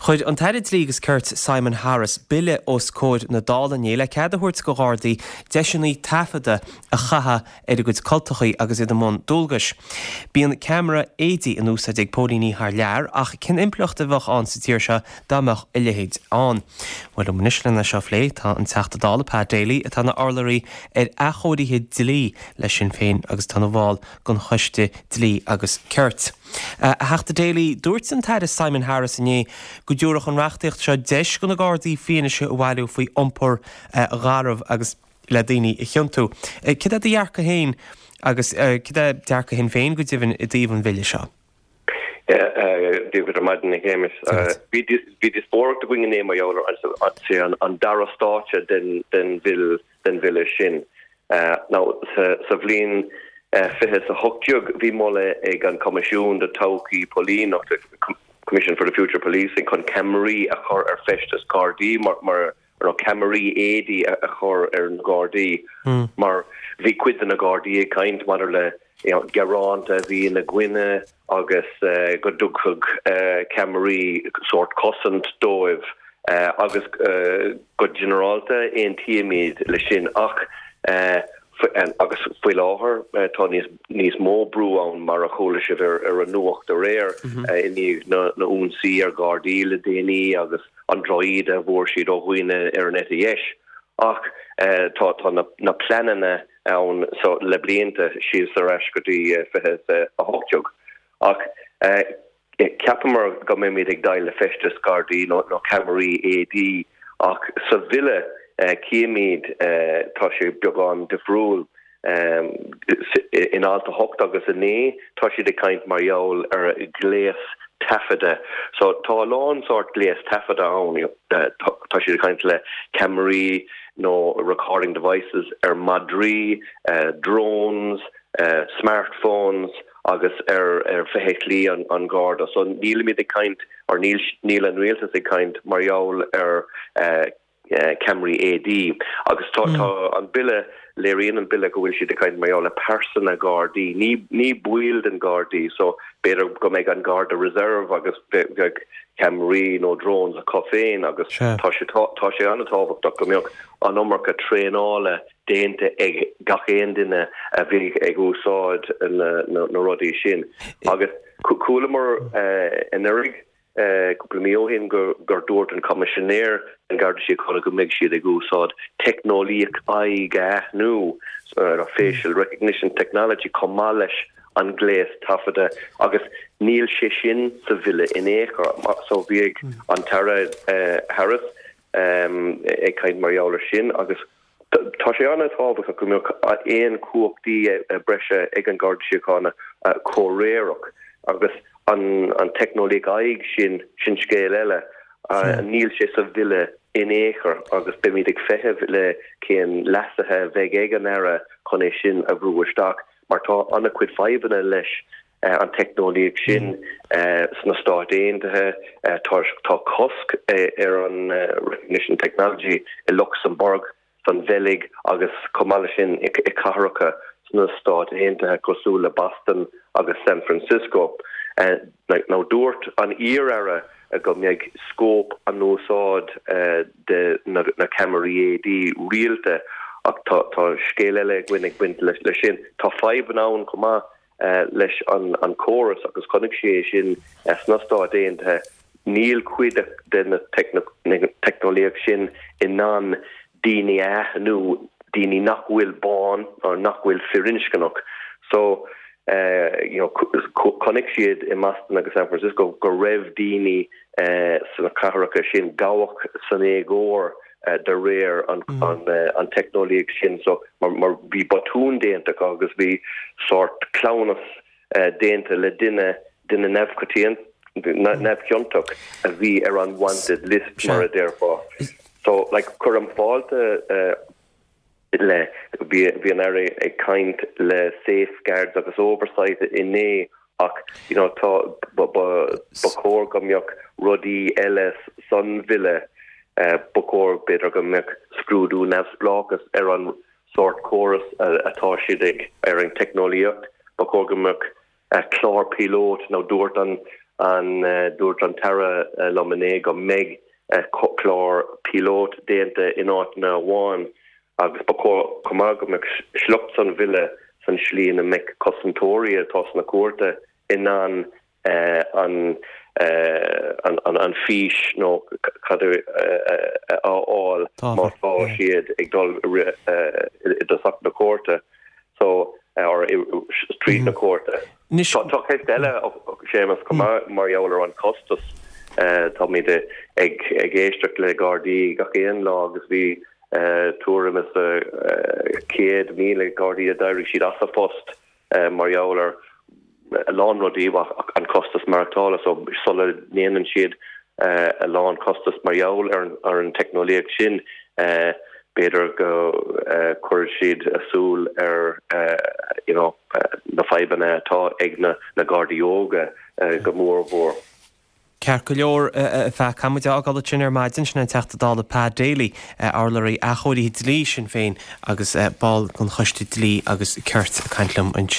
Chuir an tAire Dlí agus Cirt Simon Harris bille os comhair na Dála inné le cead a thabhairt do Ghardaí deiseanna taifeadta a chaitheamh ar a gcuid cultachaí agus iad i mbun dualgais. Bíonn ceamara éadaí in úsáid ag póilíní thar lear ach cén impleacht a bheadh ann sa tír seo dá mbeadh a leithéid ann? Bhuel, liom anois lena seo a phlé tá an Teachta Dála Pat Daly atá ina urlabhraí ar athchóirithe dlí le Sinn Féin agus atá ina bhall den Choiste Dlí agus Cirt. A Theachta Daly, dúirt an tAire Simon Harris inné go dtabharfadh an reachtaíocht seo deis do na Gardaí fianaise a bhailiú faoi iompar garbh agus le daoine a chiontú. Céard é do dhearcadh féin agus céard é dearcadh Shinn Féin go deimhin i dtaobh an bhille seo? Dia dhuit ar maidin, a Shéamais. Bhí díospóireacht againn inné mar gheall ar an dara stáitse den bhille sin. Now, sa bhliain 2018 bhí moladh ag an Coimisiún do Todhchaí Póilíneachta, Commission for the Future of Policing, chun ceamaraí a chur ar feisteas Gardaí mar nó ceamaraí éadaí a chur ar na Gardaí mar bhí cuid de na Gardaí ag caint maidir le gearánta a bhí ina gcoinne agus go dtugfadh ceamaraí sórt cosaint dóibh agus go ginearálta aontaímid leis sin ach agus faoi láthair tá níos mó brú ann mar a chuala sibh ar an nuacht aréir i ndiaidh na n-ionsaí ar Ghardaí le déanaí agus an drochíde a bhfuair siad ó dhaoine ar an eite dheis ach tá na pleananna ann so le blianta síos ar ais go dtí 2018. Ach cheapamar go mbeimid ag dul le feisteas Gardaí nó ceamaraí éadaí ach sa bhille címid tá sé beagán difriúil. In alt 8 agus 9 tá siad ag caint mar gheall ar ghléas taifeadta. So tá a lán sórt gléas taifeadta ann. Tá siad ag caint le ceamaraí nó recording devices ar madraí, drones, smartphones agus ar feithiclí an Gharda. So nílimid ag caint, or níl níl an rialtas ag caint mar gheall ar ceamaraí éadaí. Agus tá tá an bille, léiríonn an bille go bhfuil siad ag caint mar gheall ar pearsana Gardaí, ní ní baill den Ghardaí. So b'fhéidir go mbeidh an Garda Reserve agus bheadh ceamaraí nó drones acu féin agus tá sé tá sé an-tábhachtach go mbeadh an iomarca traenála déanta ag gach aon duine a bheidh ag úsáid na na rudaí sin. Agus chualamar anuraidh cúpla mí ó shin gur dúirt an Coimisinéir den Gharda Síochána go mbeidh siad ag úsáid teicneolaíocht aghaidh a aithniú, facial recognition technology, chomh maith leis an gléas taifeadta agus níl sé sin sa bhille in aon chor. So bhí an tAire Harris ag caint mar gheall ar sin agus Tá sé an-tábhachtach go mbeadh aon chumhachtaí breise ag an Garda Síochána comhréireach agus an teicneolaíocht aghaidh sin, sin scéal eile. Níl sé sa bhille in aon chor agus beimid ag feitheamh le cén leasuithe a bheidh ag an Aire chun é sin a bhrú isteach mar tá an-chuid fadhbanna leis an teicneolaíocht sin sna Stáit Aontaithe. Tá cosc ar an recognition technology i Lucsamburg, san Bheilg agus chomh maith leis sin i cathracha sna Stáit Aontaithe cosúil le Boston agus San Francisco. Now dúirt an iar-aire go mbeidh scóip an úsáid de na ceamaraí éadaí rialta ach tá scéal eile againn ag baint leis sin. Tá fadhbanna ann chomh maith leis an córas agus chonaic sé é sin sna Stáit Aontaithe, níl cuid de na teicneolaíocht sin in ann daoine a aithniú, daoine nach bhfuil bán nó nach bhfuil firinscneach. So, you know, chonaic siad i mBoston agus San Francisco go raibh daoine sna cathracha sin gabhadh san éagóir de réir an teicneolaíocht sin so mar bhí botún déanta acu agus bhí sórt cleamhnas déanta le duine, duine neamhchiontach a bhí ar an wanted list mar a déarfá. So like cuirim fáilte le, bhí an Aire ag caint le safeguards agus oversight inné ach you know tá, ba chóir go mbeadh rudaí eile san bhille, ba chóir b'fhéidir go mbeadh scrúdú neamhspleáchas ar an sórt córas atá siad ag, ar an teicneolaíocht, ba chóir go mbeadh clár píolót nó dúirt an. An dúirt an tAire liom inné go mbeidh clár píolót déanta in áiteanna amháin agus ba chóir chomh maith go mbeadh sliocht san bhille san slí ina mbeadh cosantóirí atá sna cúirte in ann an an fís nó cad a fháil má tá siad ag dul i dtosach na cúirte so or tríd na cúirte. Tá ceist eile, Séamus, chomh maith mar gheall ar an costas. Táimid ag éisteacht le Gardaí gach aon lá agus bhí tuairim is 100,000 Gardaí a d'éirigh siad as a phost mar gheall ar a lán rudaí ach an costas maireachtála. So sula ndéanann siad a lán costas mar gheall ar an teicneolaíocht sin, b'fhéidir go cuirfidh siad a súil ar you know na fadhbanna atá ag na Gardaí óga go mór mhór. Ceart go leor, a Phat, caithfidh muid a fhágáil ansin ar maidin. Sin an Teachta Dála Pat Daly, urlabhraí athchóirithe dlí Shinn Féin agus ball den Choiste Dlí agus Cirt ag caint liom ansin.